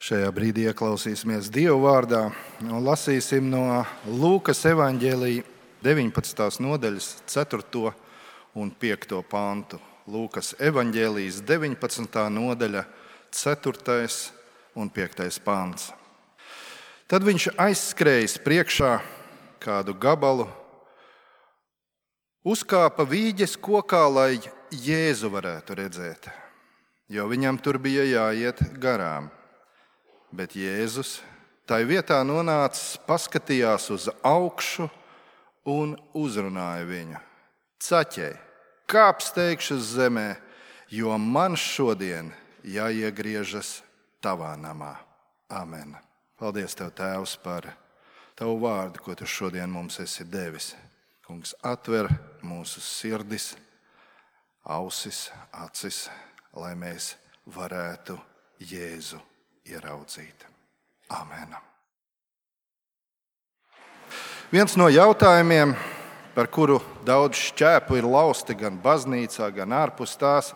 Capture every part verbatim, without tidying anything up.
Šajā brīdī ieklausīsimies Dievu vārdā un lasīsim no Lūkas evaņģēlija deviņpadsmitās nodaļas ceturto un piekto pantu. Lūkas evaņģēlijas deviņpadsmitā nodaļa ceturtais un piektais pants. Tad viņš aizskrējis priekšā kādu gabalu, uzkāpa vīģes kokā, lai Jēzu varētu redzēt, jo viņam tur bija jāiet garām. Bet Jēzus tai vietā nonācis, paskatījās uz augšu un uzrunāja viņu. Caķej, kāp steigšu uz zemē, jo man šodien jāiegriežas tavā namā. Amen. Paldies Tev, Tēvs, par Tavu vārdu, ko Tu šodien mums esi devis. Kungs, atver mūsu sirdis, ausis, acis, lai mēs varētu Jēzu ieraudzīt. Amen. Viens no jautājumiem, par kuru daudz šķēpu ir lausti gan baznīcā, gan ārpus tās,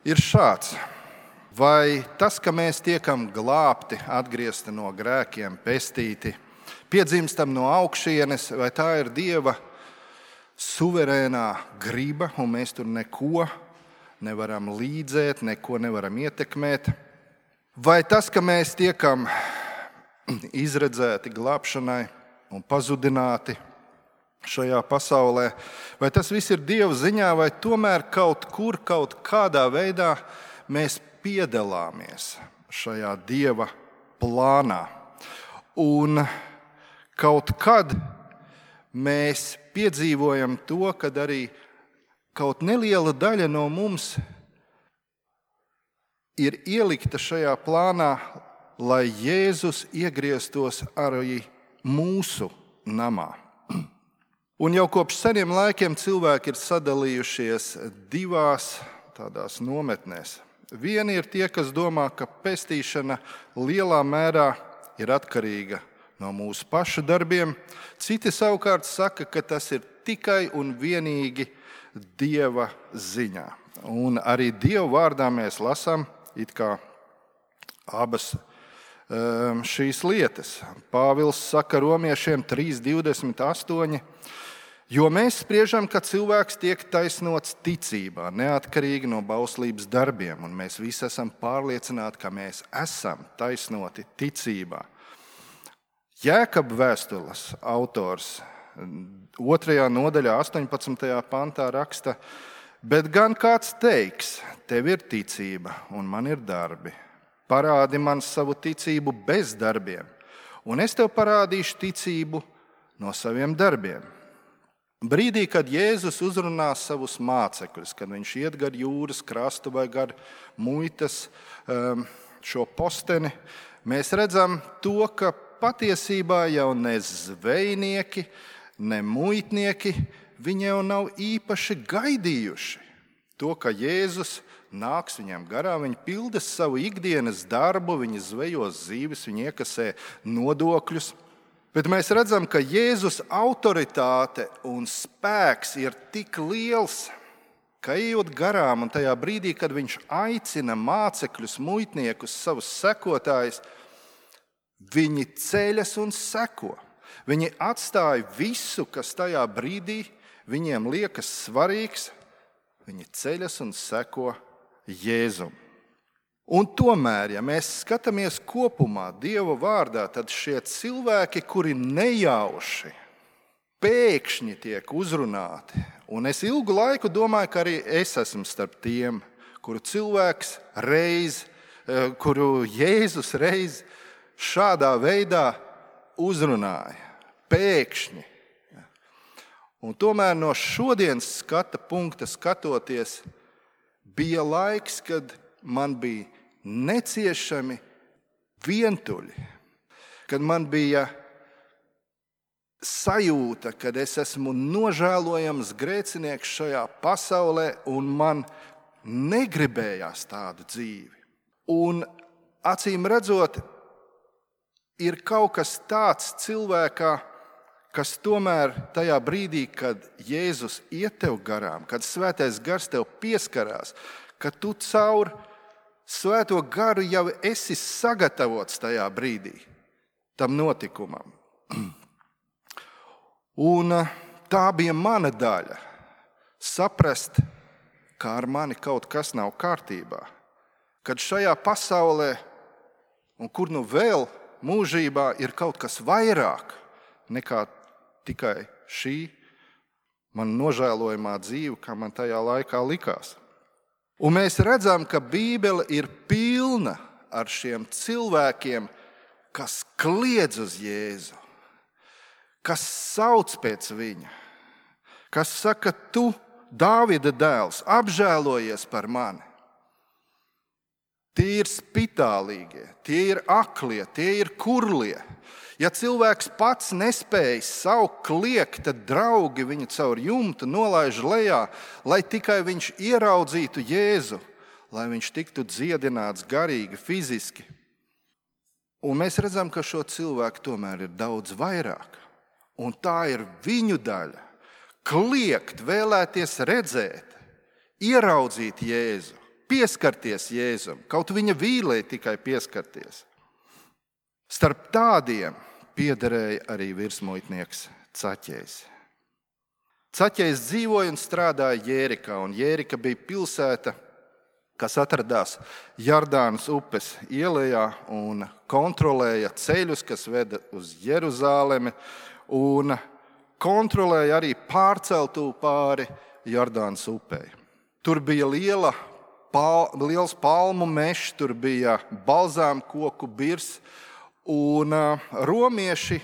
ir šāds. Vai tas, ka mēs tiekam glābti, atgriezti no grēkiem, pestīti, piedzimstam no augšienes, vai tā ir Dieva suverēnā griba, un mēs tur neko nevaram līdzēt, neko nevaram ietekmēt? Vai tas, ka mēs tiekam izredzēti glābšanai un pazudināti šajā pasaulē, vai tas viss ir Dieva ziņā, vai tomēr kaut kur, kaut kādā veidā mēs piedalāmies šajā Dieva plānā? Un kaut kad mēs piedzīvojam to, kad arī kaut neliela daļa no mums ir ielikta šajā plānā, lai Jēzus iegrieztos arī mūsu namā. Un jau kopš seniem laikiem cilvēki ir sadalījušies divās tādās nometnēs. Vieni ir tie, kas domā, ka pestīšana lielā mērā ir atkarīga no mūsu pašu darbiem. Citi savukārt saka, ka tas ir tikai un vienīgi Dieva ziņā. Un arī Dieva vārdā mēs lasām it kā abas um, šīs lietas. Pāvils saka romiešiem trīs divdesmit astoņi, jo mēs spriežam, ka cilvēks tiek taisnots ticībā, neatkarīgi no bauslības darbiem, un mēs visi esam pārliecināti, ka mēs esam taisnoti ticībā. Jēkaba vēstules autors otrajā nodaļā astoņpadsmitajā pantā raksta: bet gan kāds teiks, tev ir ticība un man ir darbi. Parādi man savu ticību bez darbiem, un es tev parādīšu ticību no saviem darbiem. Brīdī, kad Jēzus uzrunās savus mācekļus, kad viņš iet gar jūras krastu vai gar muitas šo posteni, mēs redzam to, ka patiesībā jau ne zvejnieki, ne muitnieki, viņi jau nav īpaši gaidījuši to, ka Jēzus nāks viņiem garām, viņi pilda savu ikdienas darbu, viņi zvejo zīves, viņi iekasē nodokļus. Bet mēs redzam, ka Jēzus autoritāte un spēks ir tik liels, ka ejot garām un tajā brīdī, kad viņš aicina mācekļus, muitniekus, savus sekotājus, viņi ceļas un seko. Viņi atstāja visu, kas tajā brīdī viņiem liekas svarīgs, viņi ceļas un seko Jēzum. Un tomēr, ja mēs skatāmies kopumā Dieva vārdā, tad šie cilvēki, kuri nejauši, pēkšņi tiek uzrunāti, un es ilgu laiku domāju, ka arī es esmu starp tiem, kuru cilvēks reiz, kuru Jēzus reiz šādā veidā uzrunāja, pēkšņi. Un tomēr no šodienas skata punkta skatoties, bija laiks, kad man bija neciešami vientuļi, kad man bija sajūta, kad es esmu nožēlojams grēcinieks šajā pasaulē un man negribējās tādu dzīvi. Un acīm redzot, ir kaut kas tāds cilvēkā, kas tomēr tajā brīdī, kad Jēzus iet tev garām, kad Svētais Gars tev pieskarās, ka tu caur Svēto garu jau esi sagatavots tajā brīdī tam notikumam. Un tā bija mana daļa. Saprast, kā ar mani kaut kas nav kārtībā. Kad šajā pasaulē, un kur nu vēl mūžībā, ir kaut kas vairāk nekā tikai šī man nožēlojamā dzīve, kā man tajā laikā likās. Un mēs redzam, ka Bībele ir pilna ar šiem cilvēkiem, kas kliedz uz Jēzu, kas sauc pēc viņa, kas saka, tu, Dāvida dēls, apžēlojies par mani. Tie ir spitālīgie, tie ir aklie, tie ir kurlie. Ja cilvēks pats nespēj saukt kliegt, tad draugi viņu caur jumtu nolaiž lejā, lai tikai viņš ieraudzītu Jēzu, lai viņš tiktu dziedināts garīgi, fiziski. Un mēs redzam, ka šo cilvēku tomēr ir daudz vairāk. Un tā ir viņu daļa. Kliegt, vēlēties redzēt, ieraudzīt Jēzu, pieskarties Jēzum, kaut viņa vīlē tikai pieskarties. Starp tādiem piederēja arī virsmuitnieks Caķejs. Caķejs dzīvoja un strādāja Jērikā, un Jērika bija pilsēta, kas atradās Jardānas upes ielejā un kontrolēja ceļus, kas veda uz Jeruzālemi, un kontrolēja arī pārceltuvi pāri Jardānas upei. Tur bija liela, pal, liels palmu mežs, tur bija balzām koku birs, un romieši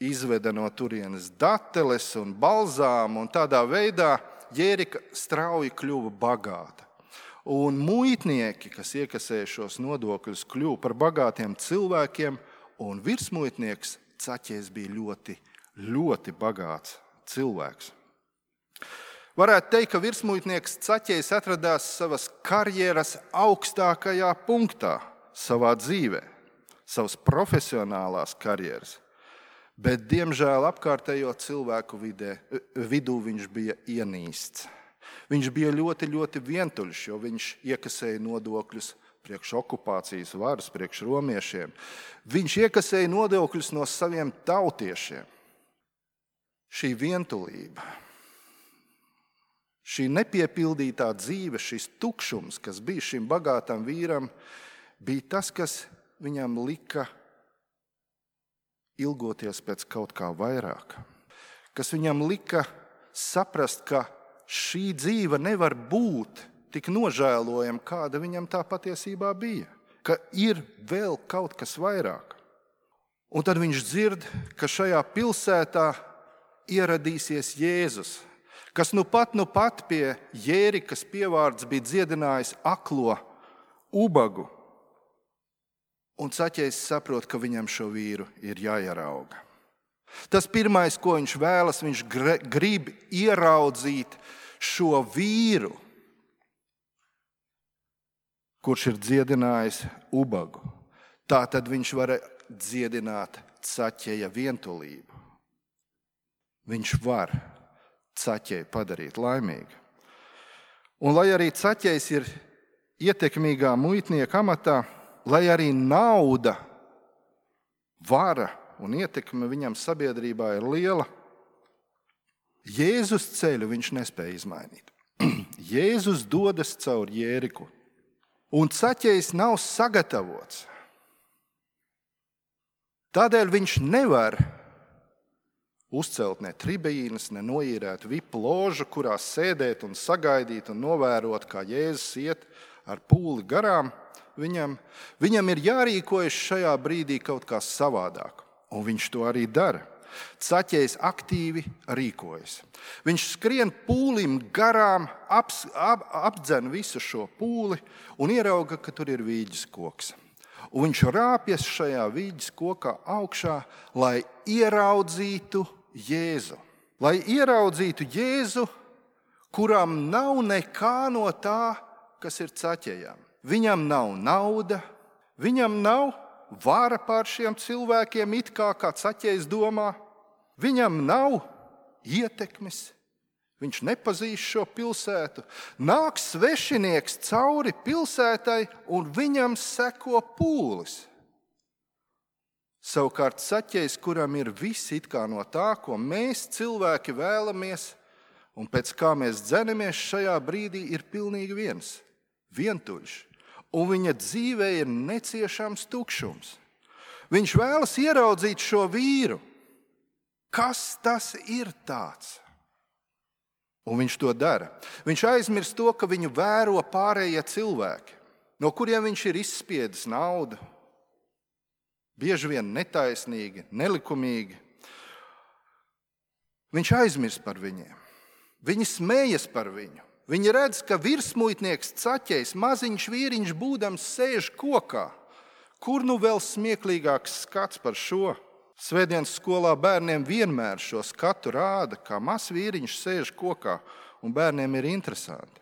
izveda no turienes dateles un balzām, un tādā veidā Jērika strauji kļuva bagāta. Un muitnieki, kas iekasēja šos nodokļus, kļuva par bagātiem cilvēkiem, un virsmuitnieks Caķejs bija ļoti, ļoti bagāts cilvēks. Varētu teikt, ka virsmuitnieks Caķejs atradās savas karjeras augstākajā punktā savā dzīvē, savas profesionālās karjeras, bet, diemžēl, apkārtējo cilvēku vidē, vidū viņš bija ienīsts. Viņš bija ļoti, ļoti vientuļš, jo viņš iekasēja nodokļus priekš okupācijas varas, priekš romiešiem. Viņš iekasēja nodokļus no saviem tautiešiem. Šī vientulība, šī nepiepildītā dzīve, šis tukšums, kas bija šim bagātam vīram, bija tas, kas viņam lika ilgoties pēc kaut kā vairāk. Kas viņam lika saprast, ka šī dzīve nevar būt tik nožēlojama, kāda viņam tā patiesībā bija. Ka ir vēl kaut kas vairāk. Un tad viņš dzird, ka šajā pilsētā ieradīsies Jēzus, kas nu pat, nu pat pie Jērikas pievārds bija dziedinājis aklo ubagu. Un Caķejs saprot, ka viņam šo vīru ir jāierauga. Tas pirmais, ko viņš vēlas, viņš grib ieraudzīt šo vīru, kurš ir dziedinājis ubagu. Tā tad viņš var dziedināt Caķeja vientulību. Viņš var Caķeju padarīt laimīgu. Un lai arī Caķejs ir ietekmīgā muitnieka amatā, lai arī nauda, vara un ietekme viņam sabiedrībā ir liela, Jēzus ceļu viņš nespēja izmainīt. Jēzus dodas caur Jēriku, un Caķejs nav sagatavots. Tādēļ viņš nevar uzcelt ne tribīnes, ne noīrēt vipu ložu, kurā sēdēt un sagaidīt un novērot, kā Jēzus iet ar pūli garām. Viņam, viņam ir jārīkojas šajā brīdī kaut kā savādāk, un viņš to arī dara. Caķejs aktīvi rīkojas. Viņš skrien pūlim garām, aps, ap, apdzen visu šo pūli un ierauga, ka tur ir vīģes koks. Un viņš rāpjas šajā vīģes kokā augšā, lai ieraudzītu Jēzu. Lai ieraudzītu Jēzu, kuram nav nekā no tā, kas ir Caķejam. Viņam nav nauda, viņam nav vara pār šiem cilvēkiem, it kā kā Caķejs domā. Viņam nav ietekmes, Viņš nepazīst šo pilsētu. Nāk svešinieks cauri pilsētai un viņam seko pūlis. Savukārt Zaķejs, kuram ir viss it kā no tā, ko mēs cilvēki vēlamies un pēc kā mēs dzenamies, šajā brīdī ir pilnīgi viens, vientuļš. Un viņa dzīvē ir neciešams tukšums. Viņš vēlas ieraudzīt šo vīru. Kas tas ir tāds? Un viņš to dara. Viņš aizmirst to, ka viņu vēro pārējie cilvēki, no kuriem viņš ir izspiedis naudu. Bieži vien netaisnīgi, nelikumīgi. Viņš aizmirst par viņiem. Viņi smējas par viņu. Viņi redz, ka virsmuitnieks Zaķejs, maziņš vīriņš būdams, sēž kokā. Kur nu vēl smieklīgāks skats par šo? Svētdienas skolā bērniem vienmēr šo skatu rāda, kā mazs vīriņš sēž kokā, un bērniem ir interesanti.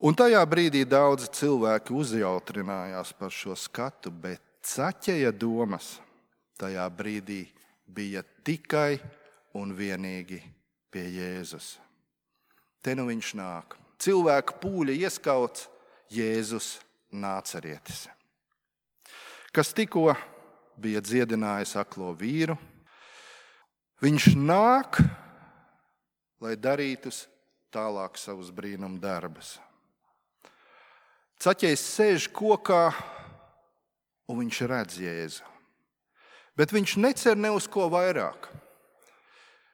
Un tajā brīdī daudzi cilvēki uzjautrinājās par šo skatu, bet Zaķeja domas tajā brīdī bija tikai un vienīgi pie Jēzus. Te nu viņš nāk. Cilvēku pūļa ieskauts Jēzus Nācarietis, kas tikko bija dziedinājis aklo vīru. Viņš nāk, lai darītu tālāk savus brīnumu darbus. Zaķejs sēž kokā, un viņš redz Jēzu. Bet viņš necer ne uz ko vairāk.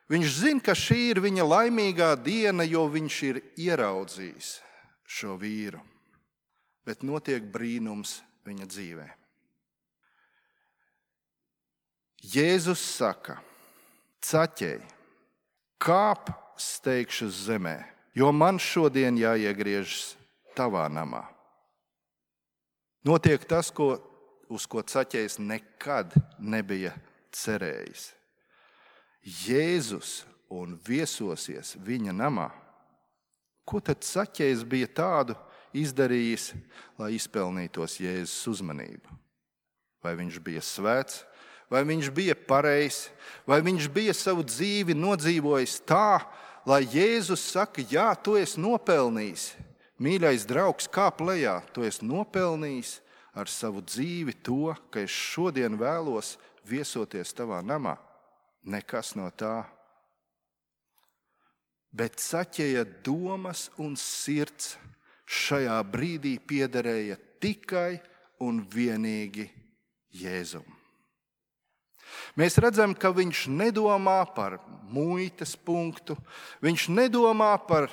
Viņš zina, ka šī ir viņa laimīgā diena, jo viņš ir ieraudzījis šo vīru. Bet notiek brīnums viņa dzīvē. Jēzus saka: Zaķej, kāp steigšu zemē, jo man šodien jāiegriežas tavā namā. Notiek tas, ko, uz ko Zaķejs nekad nebija cerējis. Jēzus un viesosies viņa namā. Ko tad Zaķejs bija tādu izdarījis, lai izpelnītos Jēzus uzmanību? Vai viņš bija svēts, vai viņš bija pareizs, vai viņš bija savu dzīvi nodzīvojis tā, lai Jēzus saka: jā, tu esi nopelnījis, mīļais draugs, kāp lejā, tu esi nopelnījis ar savu dzīvi to, ka es šodien vēlos viesoties tavā namā. Nekas no tā. Bet Zaķeja domas un sirds šajā brīdī piederēja tikai un vienīgi Jēzum. Mēs redzam, ka viņš nedomā par muitas punktu, viņš nedomā par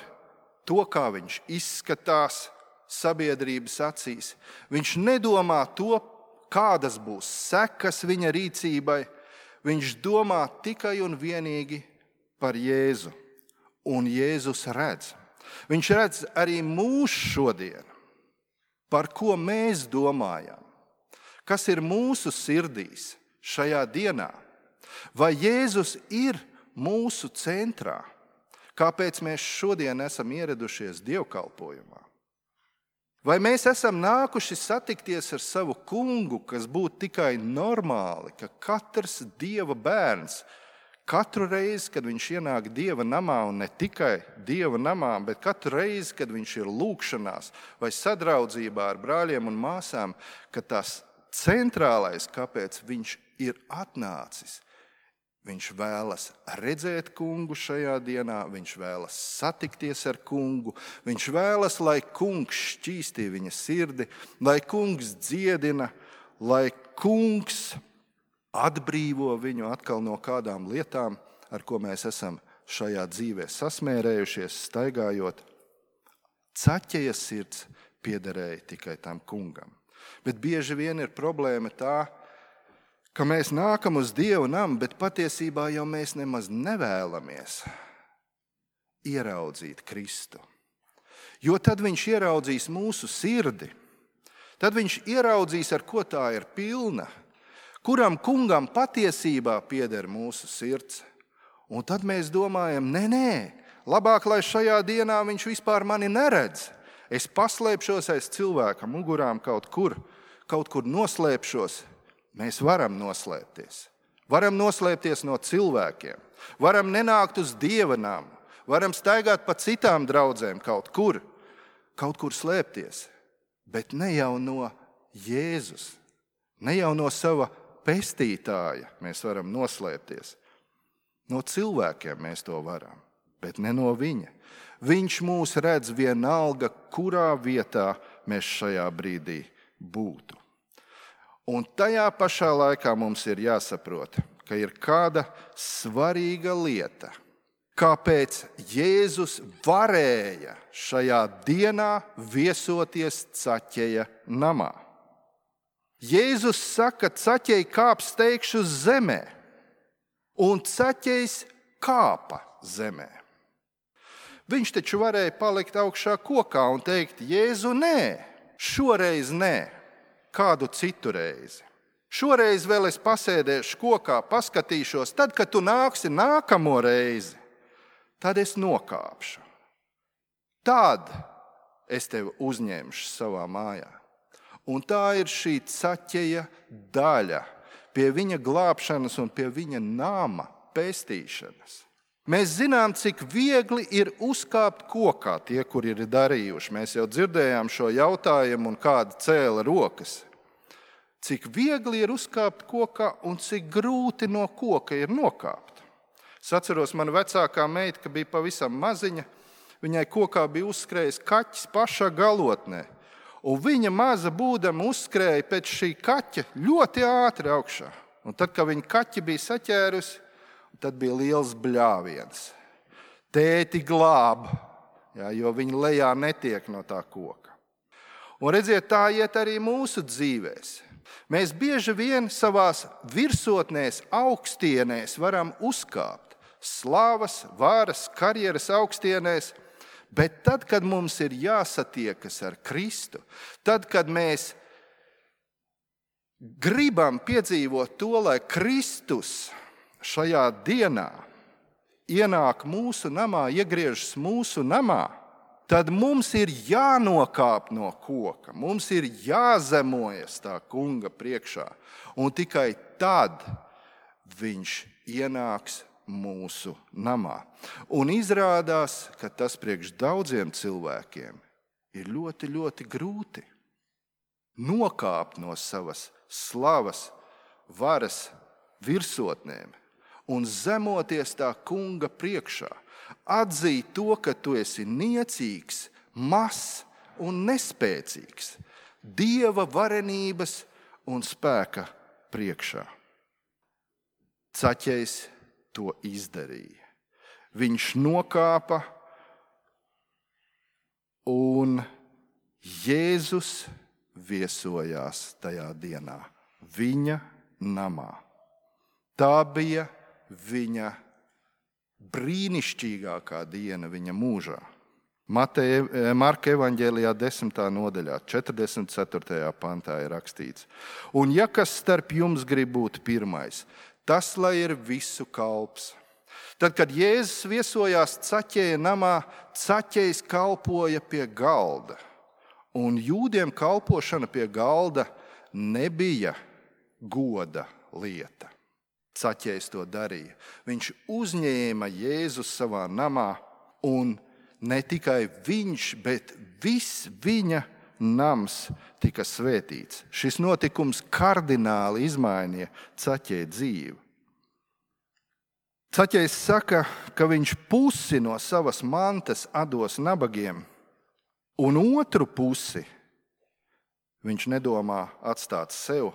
to, kā viņš izskatās sabiedrības acīs, viņš nedomā to, kādas būs sekas viņa rīcībai. Viņš domā tikai un vienīgi par Jēzu. Un Jēzus redz. Viņš redz arī mūs šodien, par ko mēs domājam, kas ir mūsu sirdīs šajā dienā. Vai Jēzus ir mūsu centrā? Kāpēc mēs šodien esam ieradušies dievkalpojumā? Vai mēs esam nākuši satikties ar savu kungu, kas būtu tikai normāli, ka katrs dieva bērns katru reizi, kad viņš ienāk dieva namā, un ne tikai dieva namā, bet katru reizi, kad viņš ir lūgšanās vai sadraudzībā ar brāļiem un māsām, ka tas centrālais, kāpēc viņš ir atnācis, viņš vēlas redzēt kungu šajā dienā, viņš vēlas satikties ar kungu, viņš vēlas, lai kungs šķīstī viņa sirdi, lai kungs dziedina, lai kungs atbrīvo viņu atkal no kādām lietām, ar ko mēs esam šajā dzīvē sasmērējušies, staigājot. Zaķeja sirds piederēja tikai tam kungam. Bet bieži vien ir problēma tā, ka mēs nākam uz Dievu namu, bet patiesībā jau mēs nemaz nevēlamies ieraudzīt Kristu. Jo tad viņš ieraudzīs mūsu sirdi, tad viņš ieraudzīs, ar ko tā ir pilna, kuram kungam patiesībā pieder mūsu sirds. Un tad mēs domājam, nē, nē, labāk, lai šajā dienā viņš vispār mani neredz. Es paslēpšos aiz cilvēka mugurām kaut kur, kaut kur noslēpšos. Mēs varam noslēpties. Varam noslēpties no cilvēkiem. Varam nenākt uz Dieva namu. varam staigāt pa citām draudzēm kaut kur, kaut kur slēpties, bet ne jau no Jēzus, ne jau no sava pestītāja mēs varam noslēpties. No cilvēkiem mēs to varam, bet ne no viņa. Viņš mūs redz vienalga, kurā vietā mēs šajā brīdī būtu. Un tajā pašā laikā mums ir jāsaprot, ka ir kāda svarīga lieta, kāpēc Jēzus varēja šajā dienā viesoties Caķeja namā. Jēzus saka, Caķej kāp steigšu zemē, un Caķejs kāpa zemē. Viņš taču varēja palikt augšā kokā un teikt, Jēzu, nē, šoreiz nē, kādu citu reizi. Šoreiz vēl es pasēdēšu kokā, paskatīšos, tad, kad tu nāksi nākamo reizi, tad es nokāpšu. Tad es tevi uzņemšu savā mājā. Un tā ir šī Caķeja daļa pie viņa glābšanas un pie viņa nama pestīšanas. Mēs zinām, cik viegli ir uzkāpt kokā tie, kuri ir darījuši. Mēs jau dzirdējām šo jautājumu un kāda cēla rokas. Cik viegli ir uzkāpt kokā un cik grūti no koka ir nokāpt. Es atceros, mana vecākā meita, ka bija pavisam maziņa, viņai kokā bija uzskrējis kaķis pašā galotnē. Un viņa maza būdama uzskrēja pēc šī kaķa ļoti ātri augšā. Un tad, kad viņa kaķi bija saķērusi, tad bija liels bļāviens. Tēti glāb, jā, jo viņa lejā netiek no tā koka. Un redziet, tā iet arī mūsu dzīvēs. Mēs bieži vien savās virsotnēs, augstienēs varam uzkāpt. Slavas, varas, karjeras augstienēs. Bet tad, kad mums ir jāsatiekas ar Kristu, tad, kad mēs gribam piedzīvot to, lai Kristus šajā dienā ienāk mūsu namā, iegriežas mūsu namā, tad mums ir jānokāp no koka, mums ir jāzemojas tā kunga priekšā, un tikai tad viņš ienāks mūsu namā. Un izrādās, ka tas priekš daudziem cilvēkiem ir ļoti, ļoti grūti nokāpt no savas slavas, varas virsotnēm un zemoties tā kunga priekšā. Atzīt to, ka tu esi niecīgs, mazs un nespēcīgs Dieva varenības un spēka priekšā. Caķejs to izdarīja. Viņš nokāpa un Jēzus viesojās tajā dienā viņa namā. Tā bija viņa brīnišķīgākā diena viņa mūžā. Mateja, Marka evaņģēlijā desmitā nodaļā, četrdesmit ceturtajā pantā ir rakstīts. Un ja kas starp jums grib būt pirmais, tas lai ir visu kalps. Tad, kad Jēzus viesojās Caķeja namā, Caķejs kalpoja pie galda. Un jūdiem kalpošana pie galda nebija goda lieta. Caķejs to darīja. Viņš uzņēma Jēzu savā namā, un ne tikai viņš, bet viss viņa nams tika svētīts. Šis notikums kardināli izmainīja Caķeja dzīvi. Caķejs saka, ka viņš pusi no savas mantas atdos nabagiem, un otru pusi viņš nedomā atstāt sev,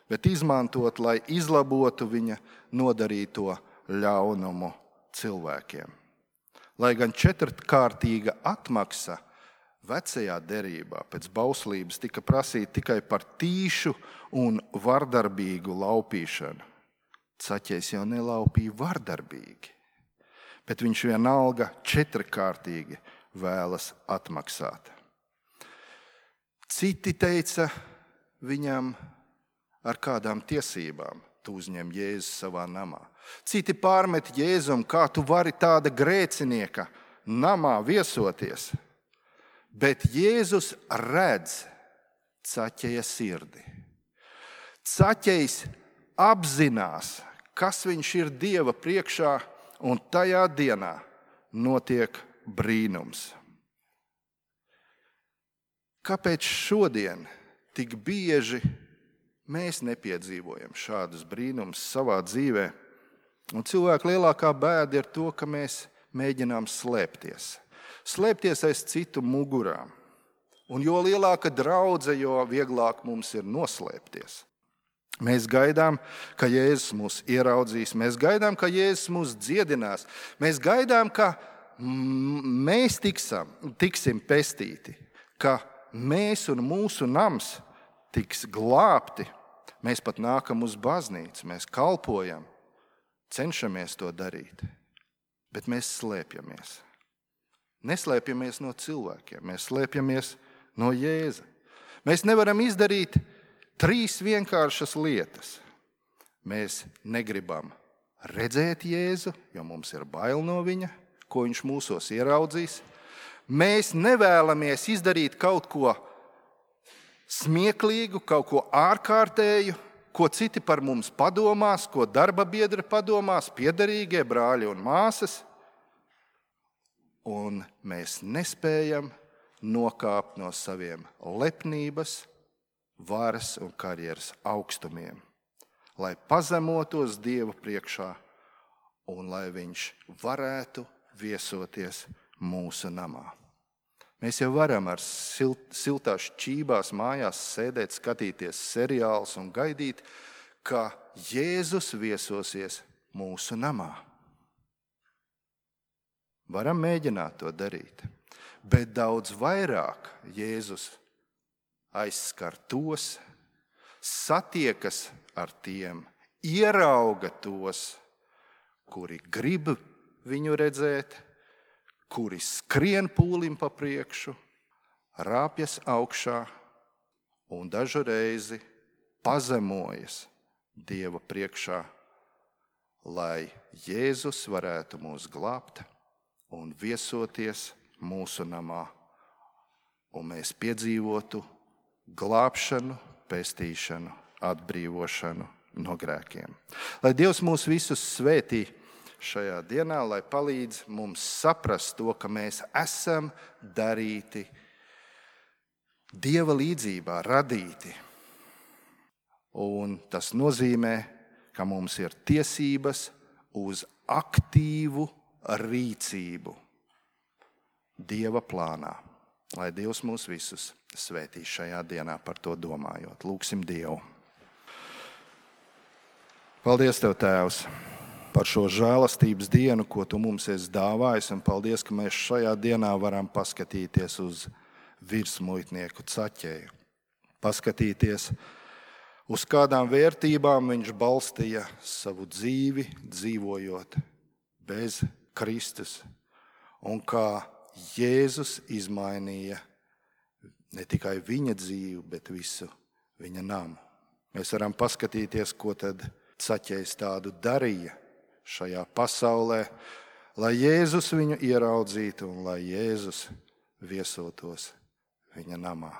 bet izmantot, lai izlabotu viņa nodarīto ļaunumu cilvēkiem. Lai gan četrkārtīga atmaksa vecajā derībā pēc bauslības tika prasīta tikai par tīšu un vardarbīgu laupīšanu. Caķejs jau nelaupīja vardarbīgi, bet viņš vienalga četrkārtīgi vēlas atmaksāt. Citi teica viņam, ar kādām tiesībām tu uzņem Jēzu savā namā. Citi pārmet Jēzum, kā tu vari tāda grēcinieka namā viesoties. Bet Jēzus redz Caķeja sirdi. Caķejs apzinās, kas viņš ir Dieva priekšā, un tajā dienā notiek brīnums. Kāpēc šodien tik bieži mēs nepiedzīvojam šādus brīnumus savā dzīvē? Un cilvēku lielākā bēda ir to, ka mēs mēģinām slēpties. Slēpties aiz citu mugurām. Un jo lielāka draudze, jo vieglāk mums ir noslēpties. Mēs gaidām, ka Jēzus mūs ieraudzīs. Mēs gaidām, ka Jēzus mūs dziedinās. Mēs gaidām, ka mēs tiksam, tiksim pestīti, ka mēs un mūsu nams tiks glābti. Mēs pat nākam uz baznīcu, mēs kalpojam, cenšamies to darīt, bet mēs slēpjamies. Neslēpjamies no cilvēkiem, mēs slēpjamies no Jēza. Mēs nevaram izdarīt trīs vienkāršas lietas. Mēs negribam redzēt Jēzu, jo mums ir bail no viņa, ko viņš mūsos ieraudzīs. Mēs nevēlamies izdarīt kaut ko smieklīgu, kaut ko ārkārtēju, ko citi par mums padomās, ko darba biedri padomās, piederīgie brāļi un māsas. Un mēs nespējam nokāpt no saviem lepnības, varas un karjeras augstumiem, lai pazemotos Dieva priekšā un lai viņš varētu viesoties mūsu namā. Mēs jau varam ar silt, siltās čībās mājās sēdēt, skatīties seriālus un gaidīt, ka Jēzus viesosies mūsu namā. Varam mēģināt to darīt, bet daudz vairāk Jēzus aizskar tos, satiekas ar tiem, ierauga tos, kuri grib viņu redzēt, kuri skrien pūlim pa priekšu, rāpjas augšā un dažu reizi pazemojas Dieva priekšā, lai Jēzus varētu mūs glābt un viesoties mūsu namā, un mēs piedzīvotu glābšanu, pestīšanu, atbrīvošanu no grēkiem. Lai Dievs mūs visus svētī šajā dienā, lai palīdz mums saprast to, ka mēs esam darīti Dieva līdzībā, radīti. Un tas nozīmē, ka mums ir tiesības uz aktīvu rīcību Dieva plānā. Lai Dievs mūs visus svētī šajā dienā par to domājot. Lūgsim Dievu. Paldies Tev, Tēvs, par šo žēlastības dienu, ko Tu mums esi dāvājis, un paldies, ka mēs šajā dienā varam paskatīties uz virsmuitnieku Caķeju. Paskatīties, uz kādām vērtībām viņš balstīja savu dzīvi, dzīvojot bez Kristus, un kā Jēzus izmainīja ne tikai viņa dzīvi, bet visu viņa namu. Mēs varam paskatīties, ko tad Caķejs tādu darīja šajā pasaulē, lai Jēzus viņu ieraudzītu un lai Jēzus viesotos viņa namā.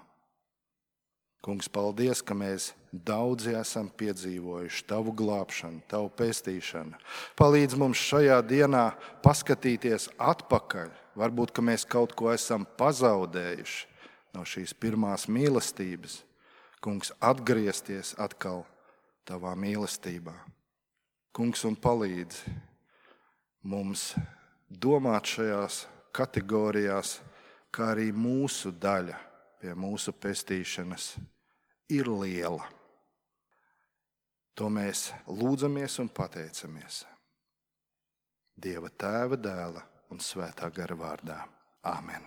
Kungs, paldies, ka mēs daudzi esam piedzīvojuši Tavu glābšanu, Tavu pestīšanu. Palīdz mums šajā dienā paskatīties atpakaļ. Varbūt, ka mēs kaut ko esam pazaudējuši no šīs pirmās mīlestības. Kungs, atgriezties atkal Tavā mīlestībā. Kungs, un palīdz mums domāt šajās kategorijās, kā arī mūsu daļa pie mūsu pestīšanas ir liela. To mēs lūdzamies un pateicamies Dieva Tēva, Dēla un Svētā gara vārdā. Āmen.